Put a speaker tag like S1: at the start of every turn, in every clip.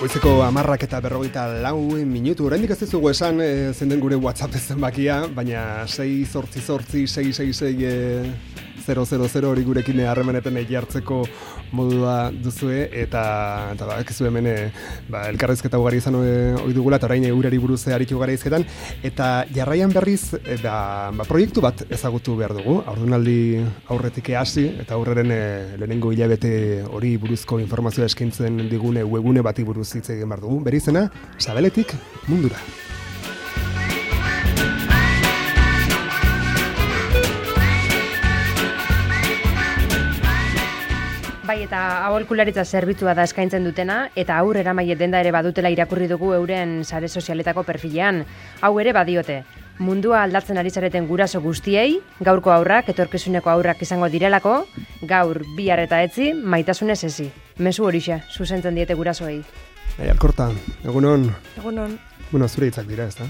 S1: Goizeko 10:54 oraindik ez dizugu esan zein den gure WhatsApp zenbakia, baina 6886600 hori gurekin harremanetan jartzeko modua duzue eta bakizu hemen elkarrizketa ugari izan ohi dugula eta orain urari buruz aritu gara hizketan eta jarraian berriz proiektu bat ezagutu behar dugu. Haurdunaldi aurretik hasi eta aurreren lehenengo hilabete hori buruzko informazioa eskaintzen digune webgune bati buruz hitz egin behar dugu. Bere izena, Sabeletik mundura.
S2: Bai, eta aholkularitza zerbitzua da eskaintzen dutena, eta haur eramaile denda ere badutela irakurri dugu euren sare sozialetako perfilean. Hau ere badiote. Mundua aldatzen ari zareten guraso guztiei, gaurko haurrak, etorkizuneko haurrak izango direlako, gaur bihar eta etzi, maitasunez ezi. Mezu horixe, zuzentzen diete gurasoei.
S1: Alkorta, egunon?
S3: Egunon.
S1: Bueno, zure hitzak dira, ez da?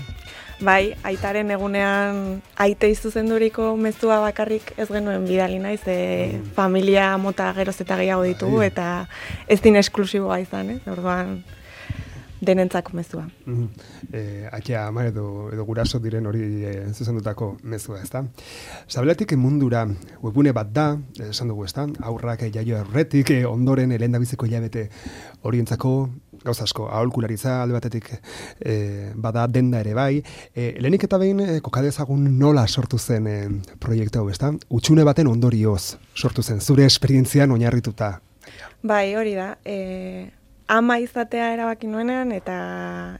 S3: Bai, aitaren egunean aite izuzenduriko mezua bakarrik ez genuen bidali naiz, familia mota geroz eta gehiago ditugu, eta ez din esklusiboa izan, ez? Orduan, denentzako mezua.
S1: Akia ama edo guraso diren hori zuzendutako mezua, ez da? Sabeletik mundura webgune bat da, esan dugu, ez da? Aurrak jaio aurretik, ondoren lehendabiziko hilabete horientzako gauza asko, aholkularitza alde batetik bada denda ere bai. Lehenik eta behin kokadezagun nola sortu zen proiektu hau, ez da? Hutsune baten ondorioz sortu zen, zure esperientzian oinarrituta.
S3: Bai, hori da. Ama izatea erabaki nuenean, eta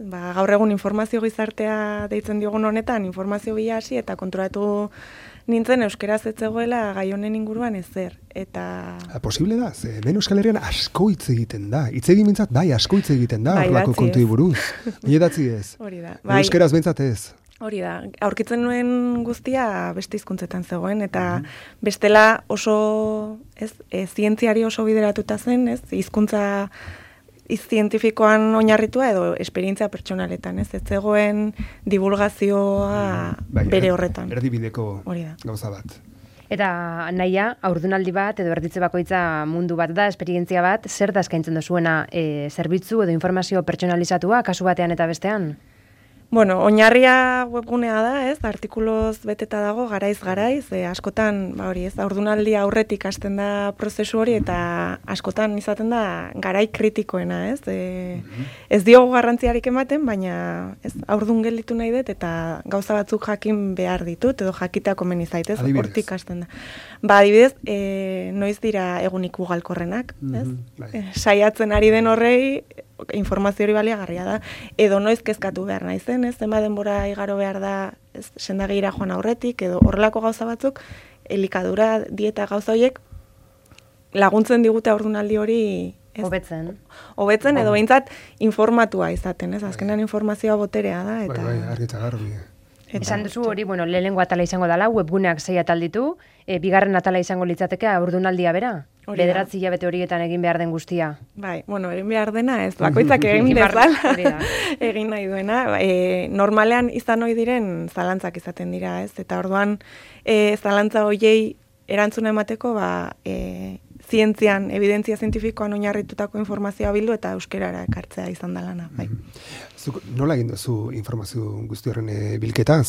S3: gaur egun informazio gizartea deitzen diogun honetan, informazio bila hasi eta konturatu nintzen euskeraz ez zegoela gai honen inguruan ezer. Eta
S1: posible da, ze hemen Euskal Herrian asko hitz egiten da. Hitz egin mintzat, bai, asko hitz egiten da, horrelako kontui buruz. Idatzi ez.
S3: Hori da.
S1: Euskeraz bintzat ez.
S3: Hori da, aurkitzen nuen guztia beste hizkuntzetan zegoen, eta bestela oso, zientziari oso bideratuta zen, hizkuntza zientifikoan oinarritua edo esperientzia pertsonaletan, ez zegoen divulgazioa bere horretan.
S1: Erdibideko gauza bat.
S2: Eta nahia, haurdunaldi bat edo erditze bakoitza mundu bat da, esperientzia bat, zer da eskaintzen duzuena zerbitzu edo informazio pertsonalizatua kasu batean eta bestean?
S3: Bueno, oinarria webgunea da, artikuloz beteta dago, garaiz, askotan, haurdunaldi aurretik hasten da prozesu hori, eta askotan izaten da garai kritikoena, Ez diogu garrantziarik ematen, baina haurdun gelditu nahi dut, eta gauza batzuk jakin behar ditut, edo jakitea komeni zaitez, hortik hasten da. Adibidez, noiz dira egunik ugalkorrenak, saiatzen ari den horrei, informazio hori baliagarria da, edo noiz kezkatu behar naizen, zema denbora igaro behar da sendagira joan aurretik, edo horrelako gauza batzuk, elikadura, dieta gauza horiek, laguntzen digute haurdunaldi hori hobetzen edo behintzat informatua izaten, azkenean informazioa boterea da.
S1: Bai, argita garbi.
S2: Esan duzu hori, lehenengo atala izango dela, webguneak 6 atal ditu, bigarren atala izango litzateke haurdunaldia bera? 9 hilabete horietan egin behar den guztia. Bai,
S3: egin behar dena ez, bakoitzak egin dezala, egin nahi duena. Normalean izan ohi diren zalantzak izaten dira, ez? Eta orduan zalantza horiei erantzuna emateko, zientzian, evidentzia zientifikoan oinarritutako informazioa bildu eta euskerara ekartzea izan da lana.
S1: Nola egin duzu informazio guzti horren bilketa?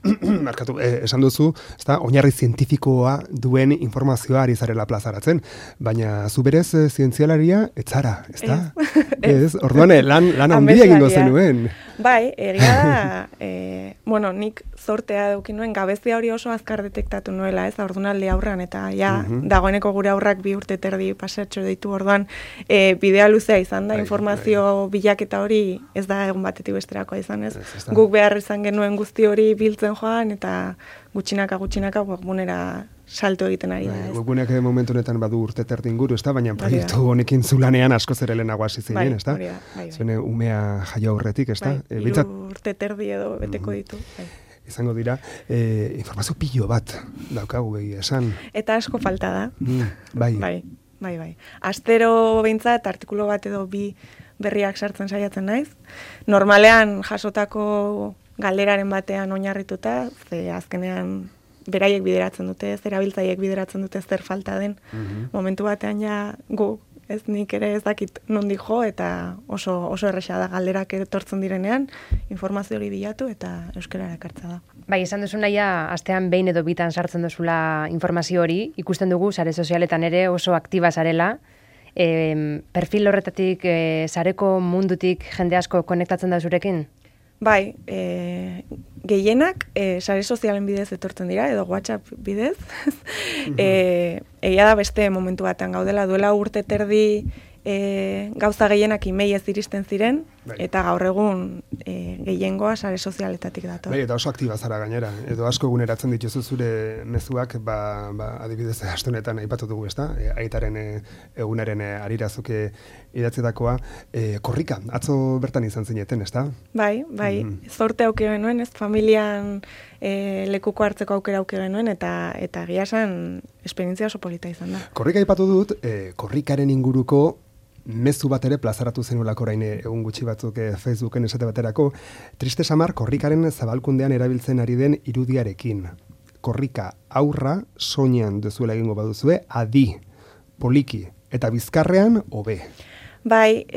S1: Markatu, esan duzu, oinarri zientifikoa duen informazioa ari zarela plazaratzen, baina zu berez zientzialaria ez zara, ez da? Ez, orduan lan handia egingo zenuen.
S3: Bai, egia da, nik zortea eduki nuen, gabezia hori oso azkar detektatu nuela, ez, haurdunaldi aurrean, eta dagoeneko gure aurrak 2 urte terdi pasatxo ditu, orduan bidea luzea izan da, informazio bilaketa hori ez da egun batetik besterakoa izan, ez? Guk behar izan genuen guzti hori biltzen joan, eta gutxinaka webgunera salto egiten ari da.
S1: Webguneak momentu honetan badu urte terdi inguru, ez da, baina proiektu honekin zulanean asko zer helenago hasi zinen, ez da? Zuen umea jaio aurretik, ez da?
S3: 3 urte terdi edo beteko ditu.
S1: Izango dira, informazio pilo bat daukagu behi esan.
S3: Eta asko falta da.
S1: Bai.
S3: Astero behintzat, artikulo bat edo 2 berriak sartzen saiatzen naiz. Normalean jasotako galderaren batean oinarrituta, ze azkenean beraiek bideratzen dute, zerabiltzaiek bideratzen dute zer falta den. Momentu batean ja gu ez nik ere ez dakit nondik jo, eta oso erresa da galderak etortzen direnean, informazio hori bilatu eta euskarara ekartza da.
S2: Bai, esan duzu naia, astean behin edo bitan sartzen duzula informazio hori, ikusten dugu sare sozialetan ere oso aktiba zarela, perfil horretatik, sareko mundutik jende asko konektatzen da zurekin?
S3: Bai, gehienak sare sozialen bidez etortzen dira, edo WhatsApp bidez. Egia da beste momentu batean gaudela, duela urte terdi gauza gehienak emailez iristen ziren, eta gaur egun gehiengoa sare sozialetatik dator.
S1: Bai, eta oso aktiba zara gainera. Edo asko eguneratzen dituzu zure mezuak, adibidez, astunetan aipatu dugu, ezta? Aitaren egunaren harirazuke idatzetakoa. Korrika, atzo bertan izan zineten, ezta?
S3: Bai, zorte auke genuen, ez? Familian lekuko hartzeko aukera auke genuen, eta egia esan esperientzia oso polita izan da.
S1: Korrika aipatu dut, korrikaren inguruko mezu bat ere plazaratu zenulako orain egun gutxi batzuk Facebooken esate baterako, triste samar korrikaren zabalkundean erabiltzen ari den irudiarekin. Korrika aurra soinean duzuela egingo baduzue, adi, poliki, eta bizkarrean hobe.
S3: Bai,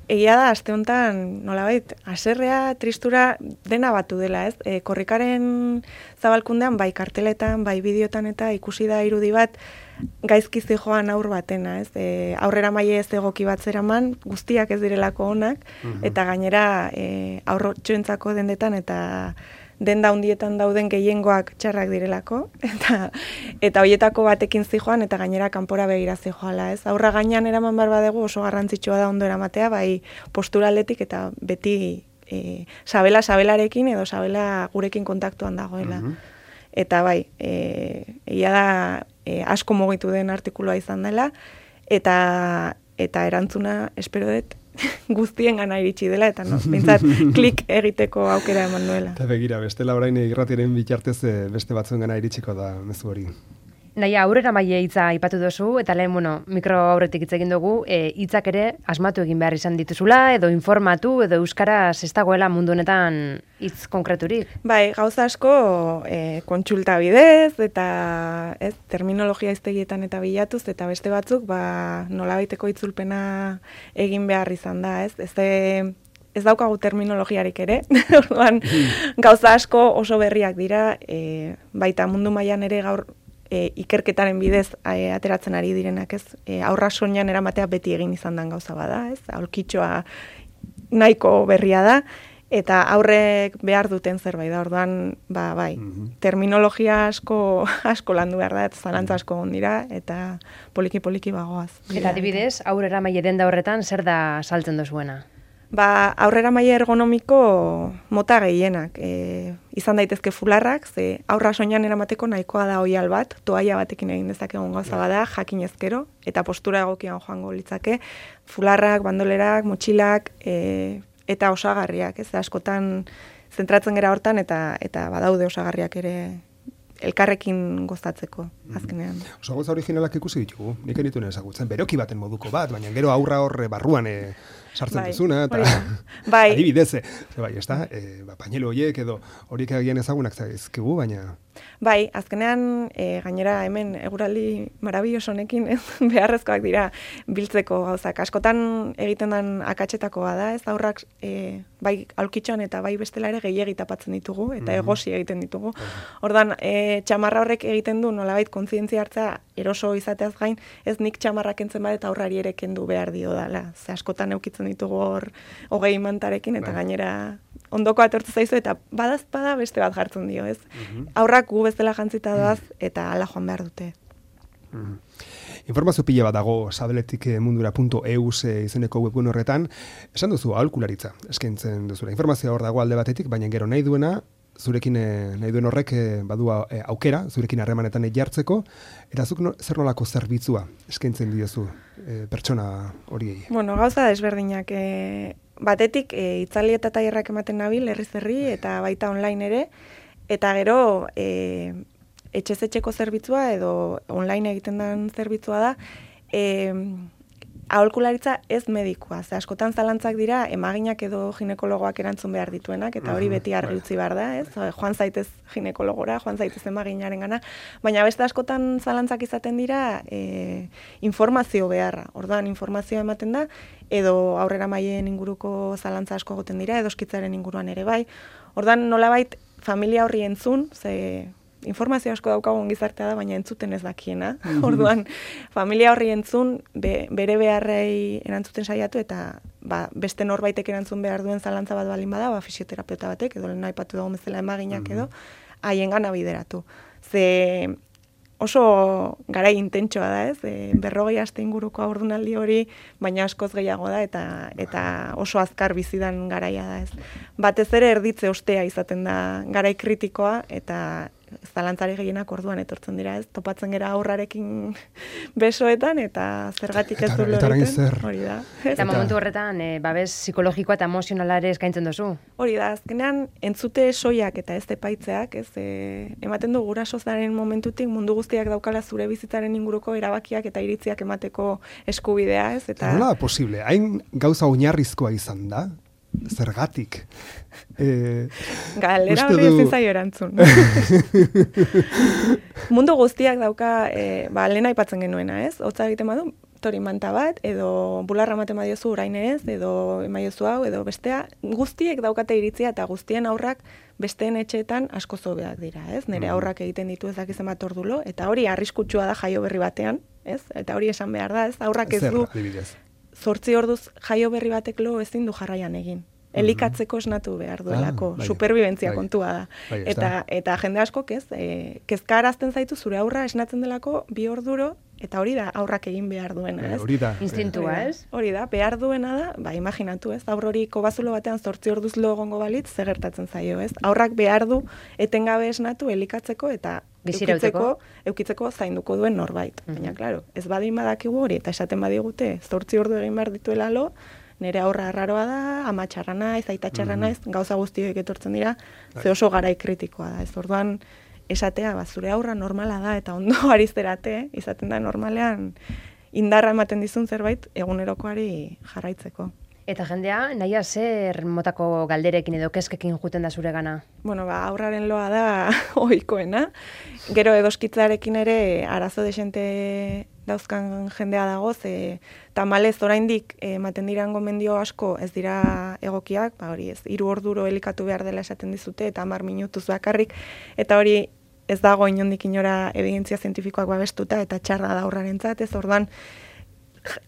S3: egia da, aste honetan, nolabait, haserrea, tristura dena batu dela, ez? Korrikaren zabalkundean, bai karteletan, bai bideotan eta ikusi da irudi bat, gaizki zijoan aur batena, ez? Aurrera maile ez egoki bat zeraman, guztiak ez direlako onak, eta gainera aurrotxoentzako dendetan eta denda hundietan dauden gehiengoak txarrak direlako, eta hoietako batekin zijoan, eta gainera kanpora begira zijoala, ez? Aurra gainean eraman behar badegu oso garrantzitsua da ondo eramatea, bai posturaletik eta beti sabelarekin edo sabela gurekin kontaktuan dagoela. Eta bai, egia da asko mugitu den artikulua izan dela, eta erantzuna espero dut guztien gana iritsi dela, eta bintzat klik egiteko aukera eman nuela.
S1: Eta begira, bestela orain irratiaren bitartez beste batzuen gana iritsiko da mezu hori.
S2: Naia, aurrera maile hitza aipatu duzu, eta lehen, mikro aurretik hitz egin dugu, hitzak ere asmatu egin behar izan dituzula, edo informatu, edo euskaraz ez dagoela mundu honetan hitz konkreturik.
S3: Bai, gauza asko kontsulta bidez, eta terminologia hiztegietan eta bilatuz, eta beste batzuk, nolabaiteko itzulpena egin behar izan da, ez daukagu terminologiarik ere, orduan gauza asko oso berriak dira, baita mundu mailan ere gaur ikerketaren bidez ateratzen ari direnak, ez? Aurra soinean eramatea beti egin izan den gauza bada, ez? Aulkitxoa nahiko berria da, eta aurrek behar duten zerbait da, orduan, bai, terminologia asko landu behar da, eta zalantza asko ondira, eta poliki-poliki bagoaz.
S2: Eta adibidez, aurrera maile denda horretan, zer da saltzen dozuena?
S3: Aurrera maila ergonomiko mota gehienak. Izan daitezke fularrak, ze aurra soinean eramateko nahikoa da oial bat, toaia batekin egin dezakegun gauza bada, jakin ezkero, eta postura egokian joango litzake, fularrak, bandolerak, motxilak, eta osagarriak, ez askotan zentratzen gera hortan, eta badaude osagarriak ere elkarrekin gozatzeko, azkenean.
S1: Oso gauza originalak ikusi ditugu, nik enituen ezagutzen, beroki baten moduko bat, baina gero aurra horre barruan sartzen duzuna, eta adibidez, bai, ez da, pañelo horiek edo horiek agian ezagunak zaizkigu, baina...
S3: Bai, azkenean, gainera hemen eguraldi marabilloso honekin beharrezkoak dira biltzeko gauzak. Askotan egiten den akatxetakoa da, ez aurrak bai aulkitxoan eta bai bestela ere gehiegi tapatzen ditugu, eta egosi egiten ditugu. Ordan txamarra horrek egiten du nolabait kontzientzia hartza eroso izateaz gain, ez nik txamarra kentzen bat eta aurrari ere kendu behar dio dela. Ze askotan eukitzen ditugu hor 20 mantarekin, eta gainera ondoko atortu zaizu, eta badazpada beste bat jartzen dio, ez? Aurrak gu bezala jantzita doaz, eta ala joan behar dute.
S1: Informazio pila bat dago sabeletikmundura.eus izeneko webgun horretan. Esan duzu aholkularitza eskaintzen duzula. Informazioa hor dago alde batetik, baina gero nahi duena, zurekin nahi duen horrek badu aukera, zurekin harremanetan jartzeko, eta zuk zer nolako zerbitzua eskaintzen diozu pertsona horiei?
S3: Bueno, gauza desberdinak. Batetik, itzali eta tailerrak ematen nabil, herri, eta baita online ere, eta gero etxez-etxeko zerbitzua edo online egiten den zerbitzua da, aholkularitza ez medikua. Ze askotan zalantzak dira emaginak edo ginekologoak erantzun behar dituenak, eta hori beti argi utzi behar da, ez? Joan zaitez ginekologora, joan zaitez emaginarengana, baina beste askotan zalantzak izaten dira informazio beharra. Orduan informazioa ematen da, edo aurrera mailen inguruko zalantza asko egoten dira, edo eskitzaren inguruan ere bai. Orduan nolabait familia horri entzun, ze informazio asko daukagun gizartea da, baina entzuten ez dakiena. Orduan, familia horri entzun, bere beharrei erantzuten saiatu, eta beste norbaitek erantzun behar duen zalantza bat balin bada, fisioterapeuta batek, edo lehen aipatu dago bezala emaginak edo, haien bideratu. Ze oso garai intentsoa da, ez? 40 aste inguruko haurdunaldi hori, baina askoz gehiago da, eta oso azkar bizidan garaia da, ez? Batez ere erditze ostea izaten da garai kritikoa, eta zalantzari gehienak orduan etortzen dira, ez? Topatzen gera aurrarekin besoetan, eta zergatik ez du loriten, hori da.
S2: Eta momentu horretan, babes psikologikoa eta emozionalare eskaintzen duzu?
S3: Hori da, azkenean, entzute soiak eta ez epaitzeak, ez? Ematen du gurasozaren momentutik mundu guztiak daukala zure bizitzaren inguruko erabakiak eta iritziak emateko eskubidea, ez? Eta
S1: nola da posible? Hain gauza oinarrizkoa izan da? Zergatik?
S3: Galera hori ezin zaio erantzun. Mundu guztiak dauka, lehen aipatzen genuena, ez? Hotza egiten badu, tori manta bat, edo bularra ematen badiozu orain ez, edo emaiozu hau, edo bestea, guztiek daukate iritzia, eta guztien aurrak besteen etxeetan asko zobeak dira, ez? Nire aurrak egiten ditu ez dakizen bat ordulo, eta hori arriskutsua da jaio berri batean, ez? Eta hori esan behar da, ez? Aurrak ez du 8 orduz jaio berri batek lo ezin du jarraian egin. Elikatzeko esnatu behar duelako, superbibentzia kontua da. Eta jende askok ez, kezkarazten zaitu zure aurra esnatzen delako 2 orduro, eta hori da aurrak egin behar duena, ez?
S1: Hori da.
S2: Instintua, ez?
S3: Hori da, behar duena da, imaginatu, ez? Aur hori kobazulo batean 8 orduz lo egongo balitz, zer gertatzen zaio, ez? Aurrak behar du etengabe esnatu, elikatzeko, eta eukitzeko zainduko duen norbait. Baina, klaro, ez badin badakigu hori, eta esaten badigute, 8 ordu egin behar dituela lo, nire aurra arraroa da, ama txarra naiz, aita txarra naiz, gauza guztioek etortzen dira, ze oso garai kritikoa da. Ez orduan, esatea, zure aurra normala da, eta ondo arizterate, izaten da normalean, indarra ematen dizun zerbait, egunerokoari jarraitzeko.
S2: Eta jendea, nahia zer motako galderekin edo kezkekin juten da zure gana?
S3: Bueno, aurraren loa da ohikoena. Gero edoskitzarekin ere arazo desente dauzkan jendea dago, ze tamalez oraindik ematen diran gomendio asko ez dira egokiak, hori ez, 3 orduro elikatu behar dela esaten dizute, eta 10 minutuz bakarrik, eta hori ez dago inondik inora evidentzia zientifikoak babestuta, eta txarra da aurrarentzat, ez orduan,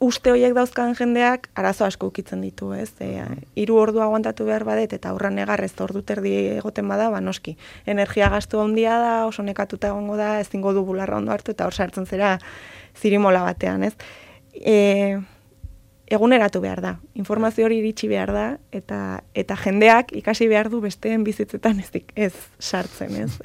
S3: uste horiek dauzkan jendeak arazo asko ukitzen ditu, ez? 3 ordu aguantatu behar badet, eta aurra negarrez ordu terdi egoten bada, noski. Energia gastu handia da, oso nekatuta egongo da, ezingo du bularra ondo hartu, eta hor sartzen zera zirimola batean, ez? Eguneratu behar da, informazio hori iritsi behar da, eta jendeak ikasi behar du besteen bizitzetan ez sartzen, ez?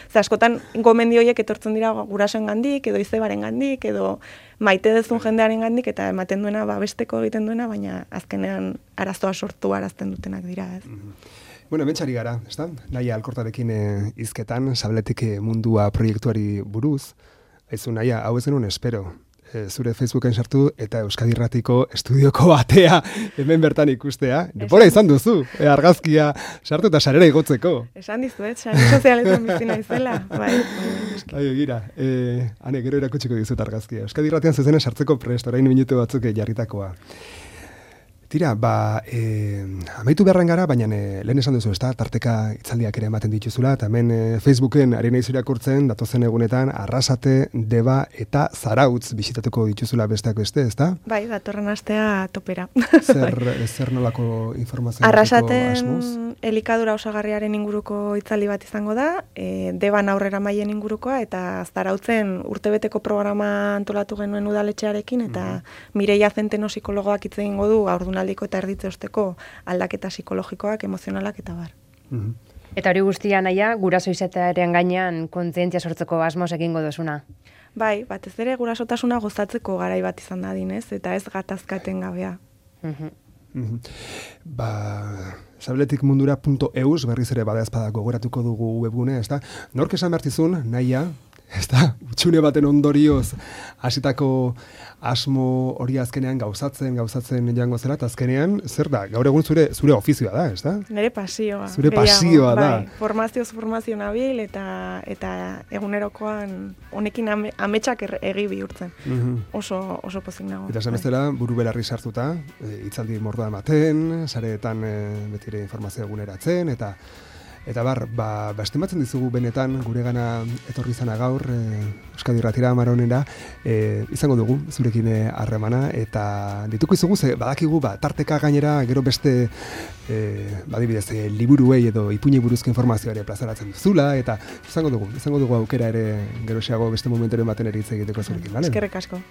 S3: Ze askotan gomendio horiek etortzen dira gurasoen gandik, edo izebaren gandik, edo maite dezun jendearen gandik, eta ematen duena, besteko egiten duena, baina azkenean arazoa sortu arazten dutenak dira, ez?
S1: Bueno, hementxari gara, ez da? Naia Alkortarekin hizketan, Sabletik mundua proiektuari buruz, aizu Naia, hau ez genuen espero. Zure Facebooken sartu eta Euskadi Irratiko estudioko atea hemen bertan ikustea. Denbora izan duzu, argazkia sartu eta sarera igotzeko.
S3: Esan dizuet, sare sozialetan bizi naizela. Bai,
S1: gira, ane, gero erakutsiko dizut argazkia. Euskadi Irratian zuzena sartzeko prest, orain minutu batzuk jarritakoa. Tira, amaitu beharren gara, baina lehen esan duzu, ezta, tarteka itzaldiak ere ematen dituzula, eta hemen Facebooken ari naiz irakurtzen, datozen egunetan, Arrasate, Deba eta Zarautz bisitatuko dituzula besteak beste, ezta?
S3: Bai, datorren astea topera.
S1: Zer nolako informazioa
S3: Arrasaten elikadura osagarriaren inguruko itzaldi bat izango da, Deban aurrera maien ingurukoa, eta Zarautzen urtebeteko programa antolatu genuen udaletxearekin, eta Mireia Zenteno psikologoak hitz egingo du haurdunaldiko eta erditze osteko aldaketa psikologikoak, emozionalak eta bar.
S2: Eta hori guztia Naia, guraso izatearen gainean kontzientzia sortzeko asmoz egingo duzuna?
S3: Bai, batez ere gurasotasuna gozatzeko garai bat izan dadin, ez? Eta ez gatazkaten gabea.
S1: Sabletikmundura.eus berriz ere badaezpada gogoratuko dugu webgune, ezta? Nork esan bertizun, Naia, ezta? Utxune baten ondorioz hasitako asmo hori azkenean gauzatzen joango zera, eta azkenean, zer da? Gaur egun zure ofizioa da, ezta?
S3: Nire pasioa.
S1: Zure pasioa da.
S3: Formazio nabil eta egunerokoan honekin ametsak egi bihurtzen. Oso pozik nago.
S1: Eta esan bezala, buru belarri sartuta, hitzaldi mordoa ematen, sareetan betire informazio eguneratzen, eta estimatzen dizugu benetan guregana etorri izana gaur Euskadi Irratira Amarronera izango dugu zurekin harremana eta dituko izugu ze badakigu tarteka gainera gero beste badibidez liburuei edo ipuinei buruzko informazioa ere plazaratzen duzula eta izango dugu aukera ere geroxeago beste momenturen baten ere hitz egiteko zurekin, bale?
S3: Eskerrik asko.